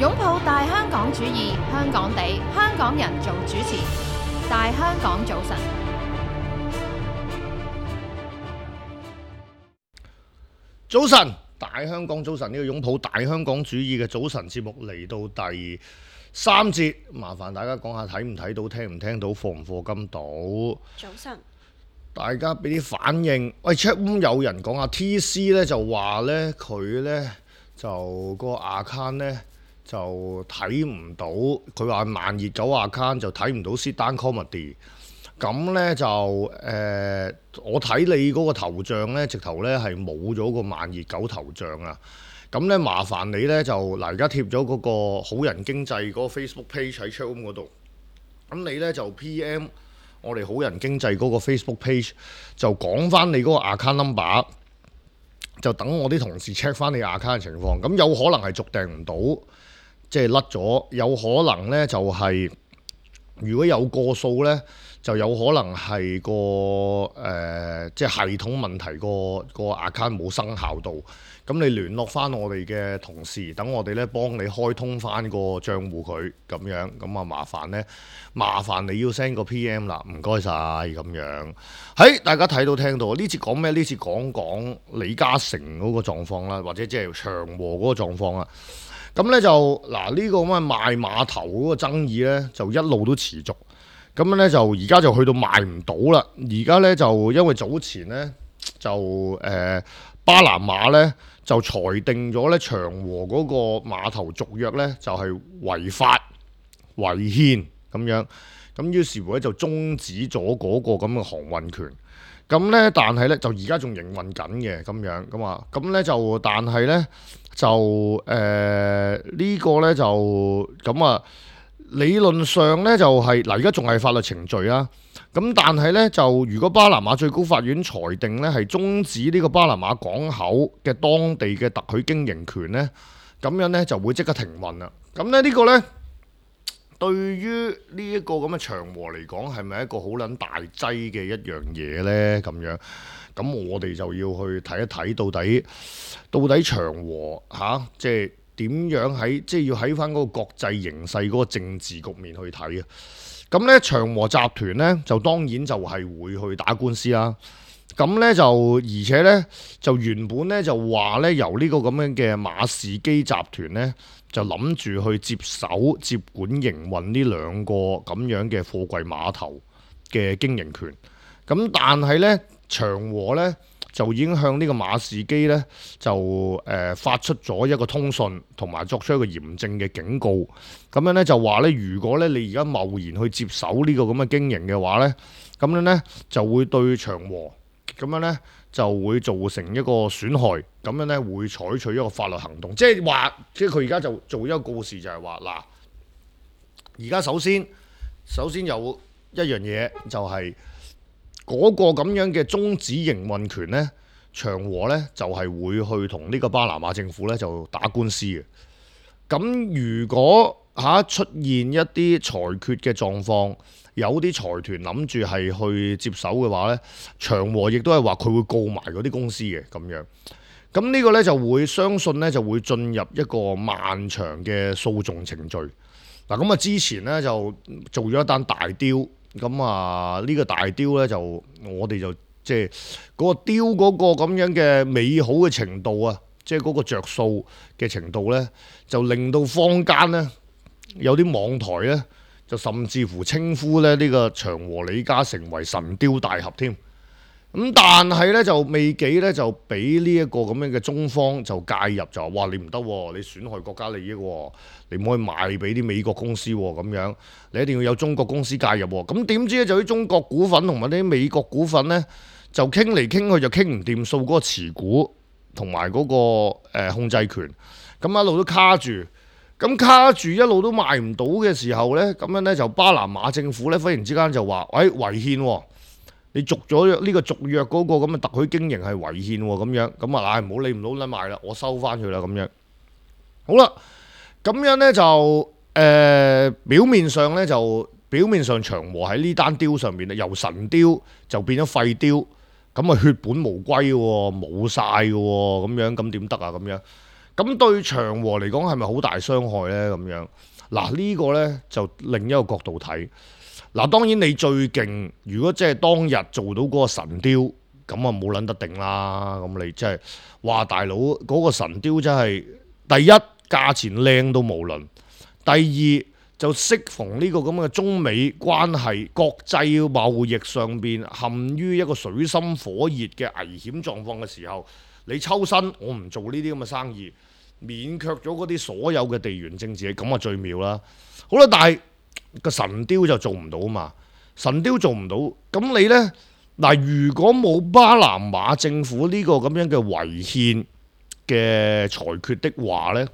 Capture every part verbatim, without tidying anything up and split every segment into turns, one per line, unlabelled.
擁抱大香港主義，香港地，香港人做主持。大香港早晨，
早晨，大香港早晨，呢個擁抱大香港主義嘅早晨節目嚟到第三節，麻煩大家講下睇唔睇到、聽唔聽到、課唔課金到。
早晨，
大家俾啲反應。喂 ，chat room 有人講下 T C 咧，就話咧佢咧就個 account 咧就睇唔到，佢話慢熱狗 account 就睇唔到 sit down comedy。咁咧就誒、呃，我睇你嗰個頭像咧，直頭咧係冇咗個慢熱狗頭像啊！咁咧麻煩你咧就嗱，而家貼咗嗰個好人經濟嗰個 Facebook page 喺 chatroom 嗰度。咁你咧就 P M 我哋好人經濟嗰個 Facebook page，就講翻你嗰個 account number，就等我啲同事 check 翻你 account 嘅情況。咁有可能係續訂唔到，即係甩咗；有可能咧就係、是、如果有個數咧。就有可能係個誒、呃，即係系統問題，個個 account 冇生效到。咁你聯絡翻我哋嘅同事，等我哋咧幫你開通翻個賬戶佢咁樣。咁啊麻煩咧，麻煩你要 send 個 P M 啦，唔該晒咁樣。喺大家睇到聽到呢次講咩？呢次講講李嘉誠嗰個狀況啦，或者即係長和嗰個狀況啦。咁咧就嗱呢、呢個咁嘅賣碼頭嗰個爭議咧，就一路都持續。咁樣咧就而家就去到賣唔到啦。而家咧就因為早前咧就誒、呃、巴拿馬咧就裁定咗咧長和嗰個碼頭續約咧就係、是、違法違憲咁樣。咁於是乎咧就終止咗嗰個咁嘅航運權。咁咧但係咧就而家仲營運緊嘅咁樣咁啊。咁咧就但係咧就誒、呃這個、呢個咧就咁啊。理論上咧就係、是、嗱，而家仲係法律程序啦。咁但係咧就如果巴拿馬最高法院裁定咧係終止呢個巴拿馬港口嘅當地嘅特許經營權咧，咁樣咧就會即刻停運啦。咁咧呢個咧對於呢一個咁嘅長和嚟講係咪一個好撚大劑嘅一樣嘢咧？咁樣咁我哋就要去睇一睇到底到底長和嚇、啊、即係。點樣喺即係要喺翻嗰個國際形勢嗰個政治局面去睇啊？咁咧長和集團咧就當然就係會去打官司啦。咁咧就而且咧就原本咧就話咧由呢個咁樣嘅馬士基集團咧就諗住去接手接管營運呢兩個咁樣嘅貨櫃碼頭嘅經營權。咁但係咧長和咧。就已經向呢個馬士基咧就誒、呃、發出咗一個通訊，同埋作出一個嚴正嘅警告。咁樣咧就話咧，如果咧你而家貿然去接手呢個咁嘅經營嘅話咧，咁樣咧就會對長和咁樣咧就會造成一個損害。咁樣咧會採取一個法律行動，即係話，即係佢而家就做一個告示就，就係話嗱，而家首先首先有一樣嘢就係、是。嗰個咁樣嘅終止營運權呢，長和呢就係、是、會去同呢個巴拿馬政府呢就打官司嘅。咁如果嚇、啊、出現一啲裁決嘅狀況，有啲財團諗住係去接手嘅話呢，長和亦都係話佢會告埋嗰啲公司嘅咁樣。咁呢個呢就會相信呢就會進入一個漫長嘅訴訟程序。嗱咁啊，之前呢就做咗一單大雕。咁啊，呢、這個大雕咧就我哋就即係嗰個雕嗰個咁樣嘅美好嘅程度啊，即係嗰個着數嘅程度咧，就令到坊間咧有啲網台咧就甚至乎稱呼咧呢、這個長和李嘉誠為神雕大俠添。咁但係咧就未幾咧就俾呢一個咁樣嘅中方就介入，就話哇你唔得喎，你損害國家利益喎，你唔可以賣俾啲美國公司喎，咁樣你一定要有中國公司介入喎。咁點知咧就啲中國股份同埋啲美國股份咧就傾嚟傾去就傾唔掂數，嗰個持股同埋嗰個、呃、控制權，咁一路都卡住，咁卡住一路都賣唔到嘅時候咧，咁樣咧就巴拿馬政府咧忽然之間就話喂違憲喎。你續咗呢個續約嗰個咁嘅特許經營係違憲喎，咁樣咁啊，唉唔好理唔好撚賣啦，我收翻佢啦咁樣。好啦，咁樣咧就誒、呃、表面上咧就表面上長和喺呢單雕上面咧由神雕就變咗廢雕，咁啊血本無歸喎，冇晒嘅喎，咁樣咁點得啊咁樣？咁對長和嚟講係咪好大傷害呢？咁樣嗱，呢個呢就另一個角度睇。嗱，當然你最勁，如果即係當日做到嗰個神雕，咁啊冇撚得定啦。咁你即係話大佬嗰個神雕真係第一價錢靚到無倫，第二就適逢呢個咁嘅中美關係、國際貿易上邊陷於一個水深火熱嘅危險狀況嘅時候，你抽身我唔做呢啲咁嘅生意，免卻咗嗰啲所有嘅地緣政治，咁啊最妙啦。好啦，但係個神雕就做唔到嘛，神雕做唔到，咁你呢？嗱，如果冇巴拿馬政府呢個咁樣嘅違憲嘅裁決的話呢，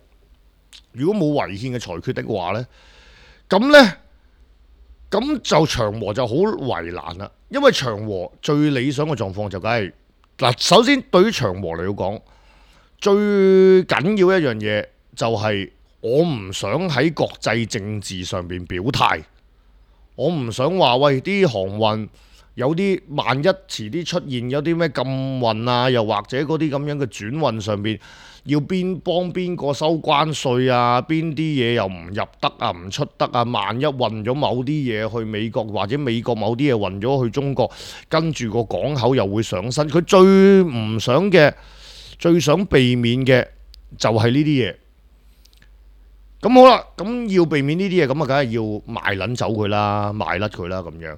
如果冇違憲嘅裁決的話呢，咁呢，咁就長和就好為難啦，因為長和最理想嘅狀況就梗係嗱，首先對於長和嚟講，最緊要一樣嘢就係我唔想喺國際政治上邊表態，我唔想話喂啲航運有啲萬一遲啲出現有啲咩禁運啊，又或者嗰啲咁樣嘅轉運上邊要邊幫邊個收關稅啊，邊啲嘢又唔入得啊，唔出得啊，萬一運咗某啲嘢去美國，或者美國某啲嘢運咗去中國，跟住個港口又會上身，佢最唔想嘅、最想避免嘅就係呢啲嘢。咁好啦，咁要避免呢啲嘢，咁啊梗係要賣撚走佢啦，賣甩佢啦咁樣。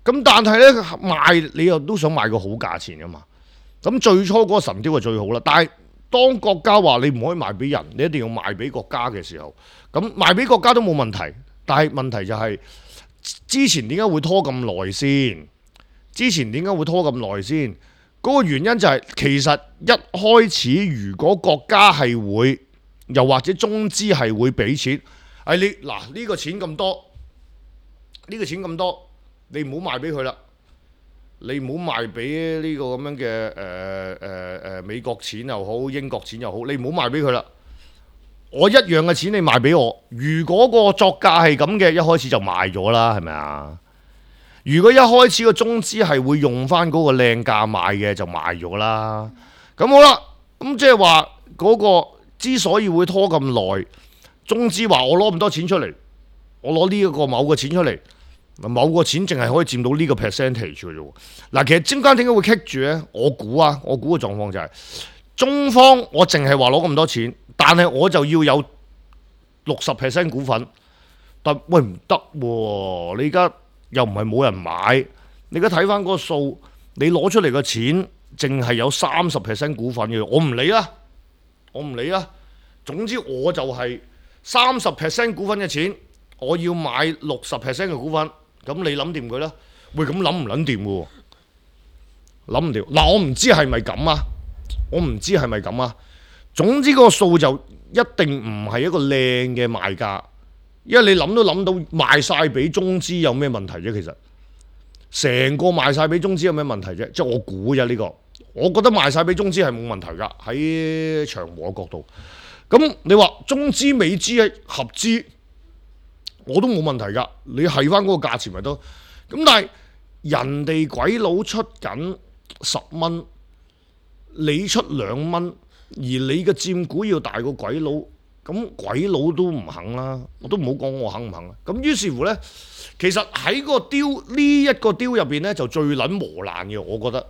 咁但係呢，賣你又都想賣個好價錢噶嘛？咁最初嗰個神雕就最好啦。但係當國家話你唔可以賣俾人，你一定要賣俾國家嘅時候，咁賣俾國家都冇問題。但係問題就係、是、之前點解會拖咁耐先？之前點解會拖咁耐先？嗰、那個原因就係、是、其實一開始如果國家係會，又或者中資係會俾錢，係你嗱呢、這個錢咁多，呢、這個錢咁多。你唔好賣俾佢啦，你唔好賣俾呢個咁樣嘅誒誒誒美國錢又好，英國錢又好，你唔好賣俾佢啦。我一樣嘅錢你賣俾我，如果個作價係咁嘅，一開始就賣咗啦，係咪啊？如果一開始個中資係會用翻嗰個靚價賣嘅，就賣咗啦。咁好啦，咁即係話嗰個之所以會拖咁耐，中資話我攞咁多錢出嚟，我攞呢一個某個錢出嚟。某個錢淨係可以佔到呢個 percentage 嘅啫。嗱，其實中間點解會棘住呢？我估啊，我估嘅狀況就係、是、中方我淨係話攞咁多錢，但係我就要有六十 percent 股份。但喂唔得喎，你而家又唔係冇人買，你而家睇翻嗰個數，你攞出嚟嘅錢淨係有三十 percent 股份嘅，我唔理啦，我唔理啦。總之我就係三十 percent 股份嘅錢，我要買六十 percent 嘅股份。咁你諗掂佢啦？喂，咁諗唔諗掂嘅喎？諗唔掂。嗱，我唔知係咪咁啊？我唔知係咪咁啊？總之個數就一定唔係一個靚嘅賣價，因為你諗都諗到賣晒俾中資有咩問題啫？其實成個賣晒俾中資有咩問題啫？即係我估啫呢個。我覺得賣晒俾中資係冇問題㗎，喺長和嘅角度。咁你話中資美資係合資？我都冇問題㗎，你係翻嗰個價錢咪得。咁但係人哋鬼佬出緊十蚊，你出兩蚊，而你嘅佔股要大過鬼佬，咁鬼佬都唔肯啦。我都唔好講我肯唔肯啦。咁於是乎呢，其實喺個雕呢一個雕入邊呢，就最撚磨爛嘅，我覺得。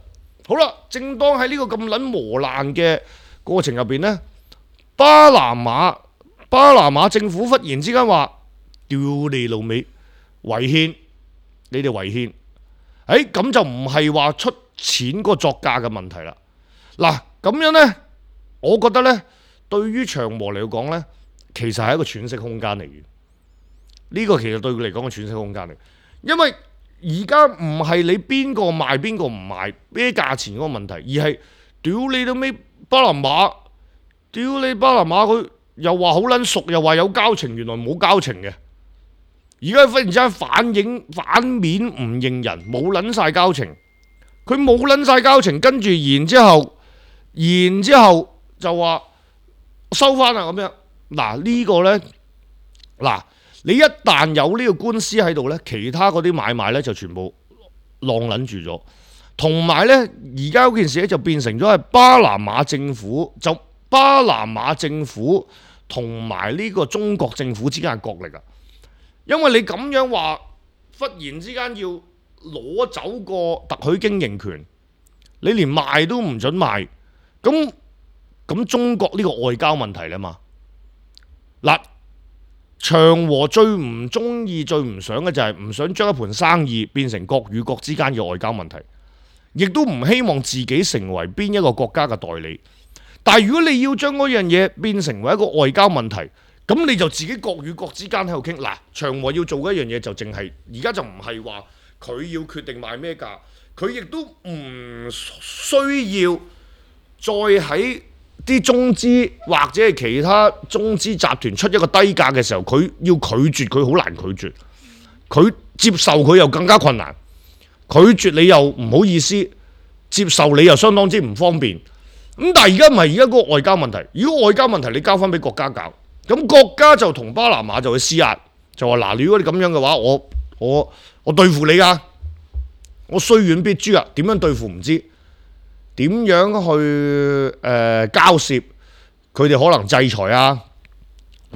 好啦，正當喺呢個咁撚磨爛嘅過程入邊呢，巴拿馬巴拿馬政府忽然之間話：屌你老味，違憲，你哋違憲，誒咁就唔係話出錢個作價嘅問題啦。嗱咁樣呢，我覺得呢，對於長和嚟講呢，其實係一個喘息空間嚟嘅。呢個其實對佢嚟講係喘息空間嚟，因為而家唔係你邊個賣邊個唔賣咩價錢嗰個問題，而係屌你老味巴拿馬，屌你巴拿馬佢又話好撚熟，又話有交情，原來冇交情嘅。而家忽然之間反映反面唔認人，冇撚晒交情，佢冇撚晒交情，跟住然之後，然之後就話收翻啦咁樣。嗱呢個呢，嗱你一旦有呢個官司喺度呢，其他嗰啲買賣呢就全部浪撚住咗，同埋呢，而家嗰件事咧就變成咗係巴拿馬政府就巴拿馬政府同埋呢個中國政府之間嘅角力啊。因為你咁樣話，忽然之間要攞走個特許經營權，你連賣都唔准賣，咁咁中國呢個外交問題啦嘛。嗱，長和最唔中意、最唔想嘅就係唔想將一盤生意變成國與國之間嘅外交問題，亦都唔希望自己成為邊一個國家嘅代理。但係如果你要將嗰樣嘢變成為一個外交問題，咁你就自己國與國之間喺度傾。嗱，長和要做嘅一樣嘢就淨係而家就唔係話佢要決定賣咩價，佢亦都唔需要再喺啲中資或者係其他中資集團出一個低價嘅時候，佢要拒絕佢好難拒絕，佢接受佢又更加困難，拒絕你又唔好意思，接受你又相當之唔方便。咁但係而家唔係，而家嗰個外交問題，如果外交問題你交翻俾國家搞，咁國家就同巴拿馬就去施壓，就話嗱，如果你咁樣嘅話，我我我對付你㗎，我雖遠必誅啊！點樣對付唔知，點樣去誒、呃、交涉，佢哋可能制裁啊，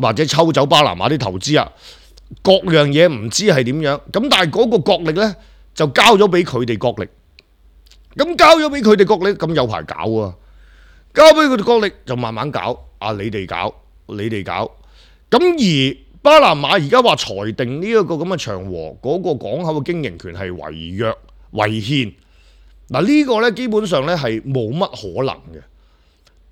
或者抽走巴拿馬啲投資啊，各樣嘢唔知係點樣。咁但係嗰個國力呢，就交咗俾佢哋國力，咁交咗俾佢哋國力，咁有排搞啊！交俾佢哋國力就慢慢搞，啊你哋搞，你哋搞。咁而巴拿馬而家話裁定呢一個咁嘅長和嗰個港口嘅經營權係違約違憲，嗱呢個呢基本上呢係冇乜可能嘅，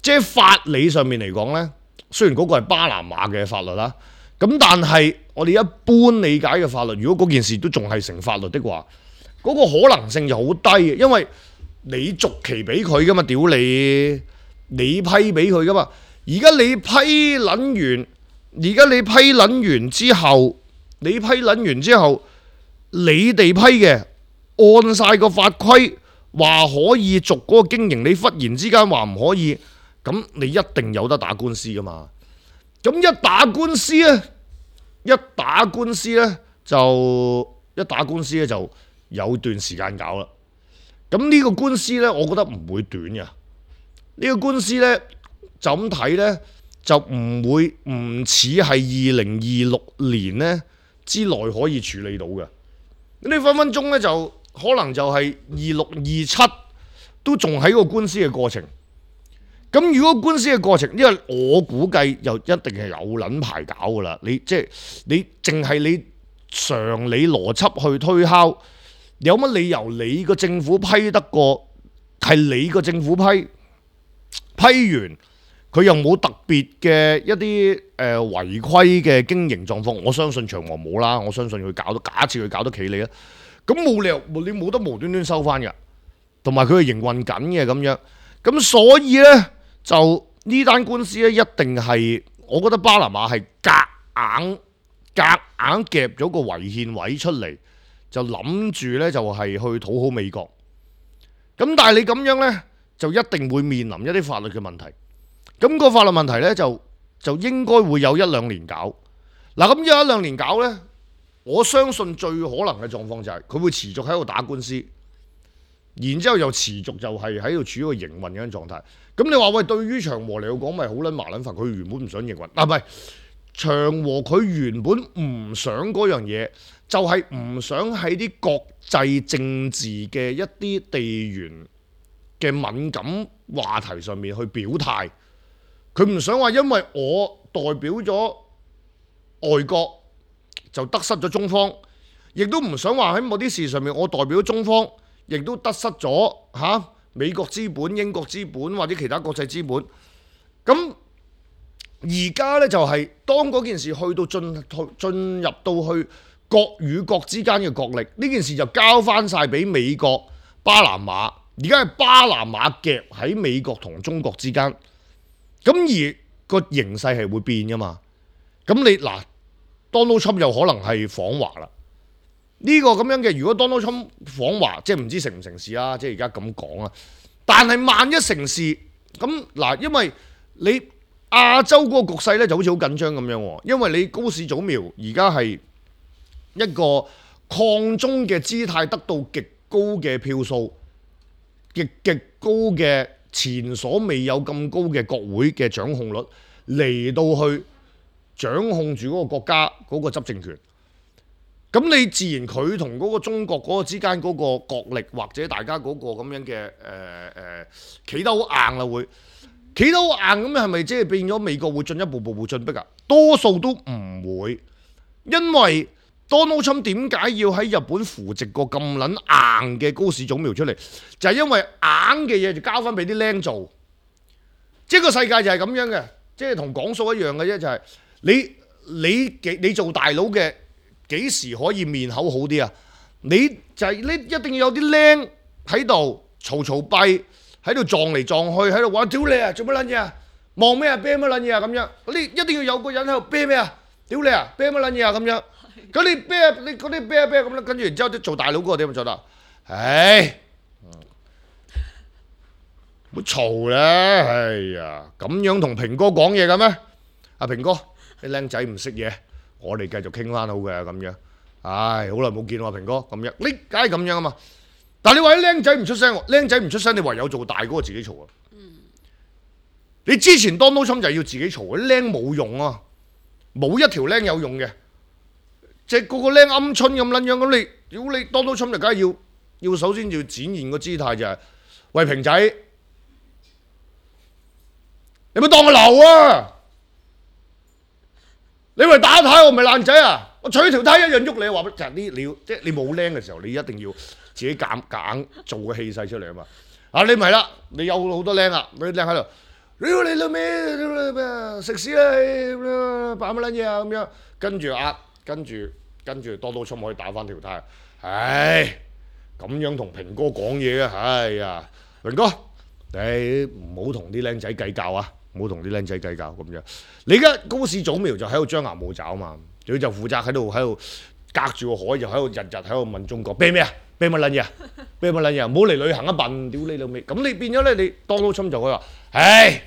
即係法理上面嚟講呢，雖然嗰個係巴拿馬嘅法律啦，咁但係我哋一般理解嘅法律，如果嗰件事都仲係成法律的話，嗰個可能性就好低嘅，因為你續期俾佢噶嘛，屌你！你批俾佢噶嘛？而家你批撚完，而家你批撚完之後，你批撚完之後，你哋批嘅按晒個法規話可以續嗰個經營，你忽然之間話唔可以，咁你一定有得打官司噶嘛？咁一打官司咧，一打官司咧就一打官司咧就有段時間搞啦。咁呢個官司咧，我覺得唔會短嘅。呢個官司呢，就咁睇呢，就唔會唔似係二零二六年呢之內可以處理到嘅。你分分鐘呢，就可能就係二六二七都仲喺個官司嘅過程。咁如果官司嘅過程，因為我估計又一定係有撚排搞噶啦。你即係你淨係你常理邏輯去推敲，有乜理由你個政府批得過係你個政府批？批完佢又冇特別嘅一啲誒、呃、違規嘅經營狀況，我相信長和冇啦，我相信佢搞得，假設佢搞得企你啦，咁冇理由你冇得無端端收翻嘅，同埋佢係營運緊嘅咁樣，咁所以呢，就呢單官司咧一定係，我覺得巴拿馬係夾硬夾硬夾咗個違憲位出嚟，就諗住呢就係去討好美國，咁但係你咁樣呢，就一定會面臨一啲法律嘅問題，咁個法律問題呢，就就應該會有一兩年搞。嗱，咁有一兩年搞呢，我相信最可能嘅狀況就係佢會持續喺度打官司，然之後又持續就係喺度處於個營運嘅狀態。咁你話喂，對於長和嚟講咪好撚麻撚煩，佢原本唔想營運，啊唔係長和佢原本唔想嗰樣嘢，就係唔想喺啲國際政治嘅一啲地緣嘅敏感話題上面去表態，佢唔想話因為我代表咗外國就得失咗中方，亦都唔想話喺某啲事上面我代表咗中方，亦都得失咗嚇、啊、美國資本、英國資本或者其他國際資本。咁而家呢，就係、是、當嗰件事去到進進入到去國與國之間嘅角力，呢件事就交翻晒俾美國、巴拿馬。而家係巴拿馬夾喺美國同中國之間，咁而個形勢係會變噶嘛？咁你嗱 Donald Trump 又可能係訪華啦。呢、這個咁樣嘅，如果 Donald Trump 訪華，即係唔知成唔成事啦。即係而家咁講啊。但係萬一成事，咁嗱，因為你亞洲嗰個局勢咧就好似好緊張咁樣喎。因為你高市早苗而家係一個抗中嘅姿態，得到極高嘅票數。極極高嘅前所未有咁高嘅國會嘅掌控率嚟到去掌控住嗰個國家嗰個執政權。咁你自然佢同嗰個中國嗰個之間嗰個角力，或者大家嗰個咁樣嘅誒誒企得好硬啦，會企得好硬咁，係咪即係變咗美國會進一步步步進逼啊？多數都唔會，因為 Donald Trump 點解要喺日本扶植個咁撚硬嘅高市早苗出嚟？就係、是、因為硬嘅嘢就交翻俾啲僆做，即係個世界就係咁樣嘅，即係同講數一樣嘅啫，就係、是、你你你做大佬嘅。幾時可以面口好啲啊？你就係、是、你一定要有啲僆喺度嘈嘈閉，喺度撞嚟撞去，喺度話屌你啊！做乜撚嘢啊？望咩啊？啤乜撚嘢啊？咁樣你一定要有個人喺度啤咩啊？屌你啊！啤乜撚嘢啊？咁樣咁你啤啊？你嗰啲啤啊啤咁啦，跟住然之後啲做大佬嗰個點樣做得？唉，唔好嘈啦！哎呀，咁樣同平哥講嘢嘅咩？阿平哥，你僆仔唔識嘢。我哋繼續傾翻好嘅咁樣，唉，好耐冇見喎，平哥咁樣，你梗係咁樣啊嘛。但係你話啲僆仔唔出聲，僆仔唔出聲，你唯有做大嗰個自己嘈啊。嗯、你之前 Donald Trump 就係要自己嘈，啲僆冇用啊，冇一條僆有用嘅，即係個個僆鵪鶉咁撚樣，咁你屌你 Donald Trump 就梗係要要首先要展現個姿態就係、是，喂平仔，你咪當我流啊！你咪打呔我唔係爛仔啊！我取條呔一樣喐你，話就係呢，你要即係你冇僆嘅時候，你一定要自己夾硬做個氣勢出嚟啊嘛！啊你唔係啦，你有好多僆啊，你僆喺度，屌你老味咩食屎啦！扮乜撚嘢啊咁樣，跟住啊，跟住跟住多多出可以打翻條呔，唉，咁樣同平哥講嘢啊！唉呀，平哥，你唔好同啲僆仔計較啊！唔好同啲僆仔計較咁樣。你而家高市早苗就喺度張牙舞爪啊嘛，佢就負責喺度喺度隔住個海就喺度日日喺度問中國啤咩啊？啤乜撚嘢啊？啤乜撚嘢啊？唔好嚟旅行一笨，屌你老味！咁你變咗咧，你 Donald Trump就可以話：唉，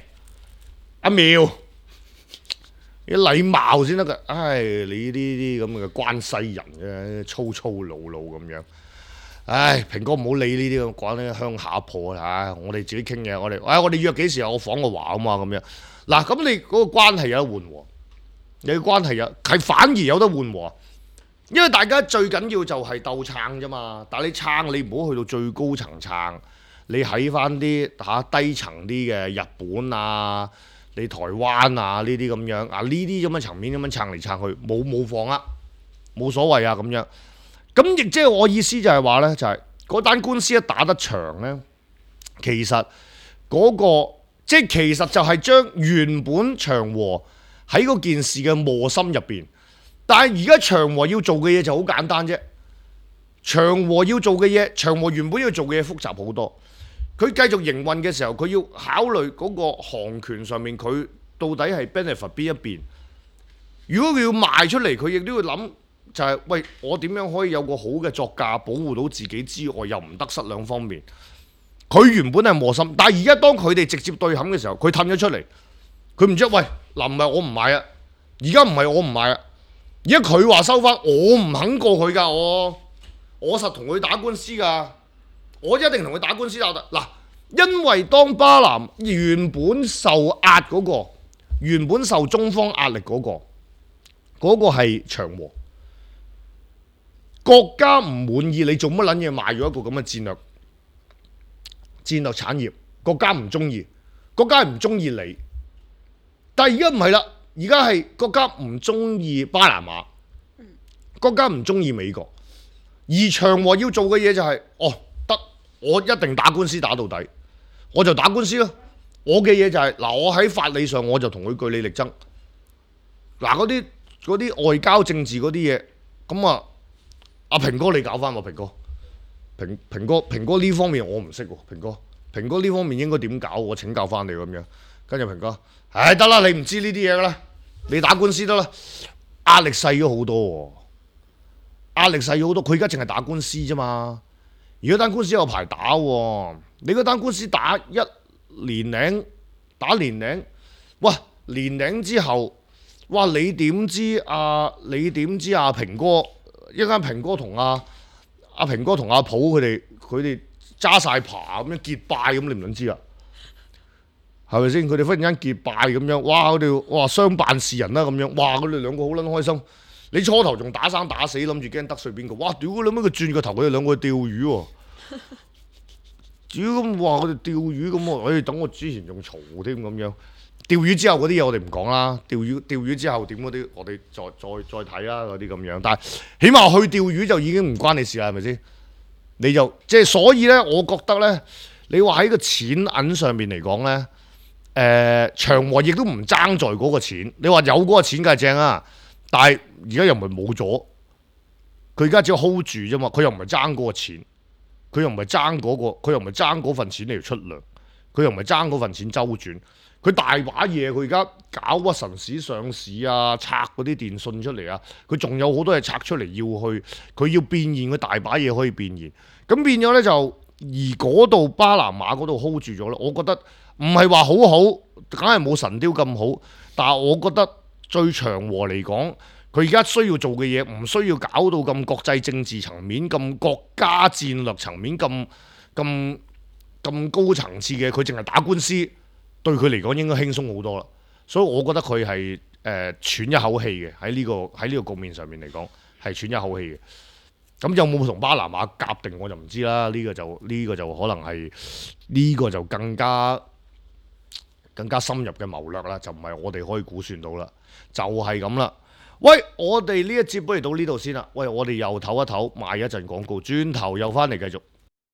阿苗，你禮貌先得㗎。唉，你呢啲咁嘅關西人嘅粗粗魯魯咁樣。唉，平哥唔好理呢啲咁講啲鄉下破啦，我哋自己傾嘅，我哋，唉，我哋約幾時啊？我訪個華啊嘛，咁樣。嗱，咁你嗰個關係有得緩和，你嘅關係有係反而有得緩和，因為大家最緊要就係鬥撐啫嘛。但係你撐，你唔好去到最高層撐，你喺翻啲嚇低層啲嘅日本啊，你台灣啊呢啲咁樣啊呢啲咁嘅層面咁樣撐嚟撐去，冇冇放啊，冇所謂啊咁樣。咁亦即係我意思就係話呢，就係嗰單官司一打得長呢，其實嗰、嗰個即係其實就係將原本長和喺嗰件事嘅磨心入邊，但係而家長和要做嘅嘢就好簡單啫。長和要做嘅嘢，長和原本要做嘅嘢複雜好多。佢繼續營運嘅時候，佢要考慮嗰個航權上面，佢到底係 benefit 邊一邊。如果佢要賣出嚟，佢亦都要諗。就係、是、喂，我點樣可以有個好嘅作價，保護到自己之外，又唔得失兩方面。佢原本係磨心，但係而家當佢哋直接對冚嘅時候，佢褪咗出嚟。佢唔知喂嗱，唔係我唔買啊，而家唔係我唔買啊，而家佢話收翻，我唔肯過佢㗎，我我實同佢打官司㗎，我一定同佢打官司打得嗱，因為當巴南原本受壓嗰、那個，原本受中方壓力嗰、那個，嗰、那個係長和。國家唔滿意你做乜撚嘢賣咗一個咁嘅戰略戰略產業，國家唔中意，國家唔中意你。但係而家唔係啦，而家係國家唔中意巴拿馬，國家唔中意美國，而長和要做嘅嘢就係、是，哦得，我一定打官司打到底，我就打官司咯。我嘅嘢就係、是、嗱，我喺法理上我就同佢據理力爭。嗱，嗰啲嗰啲外交政治嗰啲嘢，咁啊。阿平哥你搞翻喎，平哥，平平哥平哥呢方面我唔識喎，平哥平哥呢方面應該點搞？我請教翻你咁樣。跟住平哥，唉得啦，你唔知呢啲嘢噶啦，你打官司得啦，壓力細咗好多喎，壓力細咗好多。佢而家淨係打官司啫嘛，如果單官司有排打喎，你嗰單官司打一年零，打年零，哇年零之後，哇你點知啊？你點知啊？平哥？一間平哥同阿阿平哥同阿普佢哋佢哋揸晒爬咁樣結拜咁，你唔撚知啊？係咪先？佢哋忽然間結拜咁樣，哇！佢哋哇相辦事人啦咁樣，哇！佢哋兩個好撚開心。你初頭仲打生打死，諗住驚得罪邊個？哇！屌佢諗乜佢轉個頭，佢哋兩個去釣魚喎。屌咁話佢哋釣魚咁喎，誒等我之前仲嘈添咁樣。釣魚之後嗰啲嘢我哋唔講啦，釣魚釣魚之後點嗰啲我哋再再再睇啦嗰啲咁樣。但係起碼去釣魚就已經唔關你事啦，係咪先？你就即係所以咧，我覺得咧，你話喺個錢銀上面嚟講咧，誒、呃、長和亦都唔爭在嗰個錢。你話有嗰個錢梗係正啊，但係而家又唔係冇咗，佢而家只係 hold 住啫嘛，佢又唔係爭嗰個錢。佢又唔係爭嗰個，佢又唔係爭嗰份錢嚟出糧，佢又唔係爭嗰份錢周轉，佢大把嘢，佢而家搞屈臣氏上市啊，拆嗰啲電信出嚟啊，佢仲有好多嘢拆出嚟要去，佢要變現，佢大把嘢可以變現，咁變咗呢，就而嗰度巴拿馬嗰度 hold 住咗咧，我覺得唔係話好好，梗係冇神雕咁好，但係我覺得最長和嚟講。佢而家需要做嘅嘢唔需要搞到咁國際政治層面、咁國家戰略層面、咁咁咁高層次嘅，佢淨係打官司，對佢嚟講應該輕鬆好多啦。所以我覺得佢係誒喘一口氣嘅喺呢個喺呢個局面上面嚟講係喘一口氣嘅。咁有冇同巴拿馬夾定我就唔知啦。呢、這個就呢、這個就可能係呢、這個就更加更加深入嘅謀略啦，就唔係我哋可以估算到啦，就係咁啦。喂，我哋呢一節不如到呢度先啦。喂，我哋又唞一唞，賣一陣廣告，轉頭又翻嚟繼續。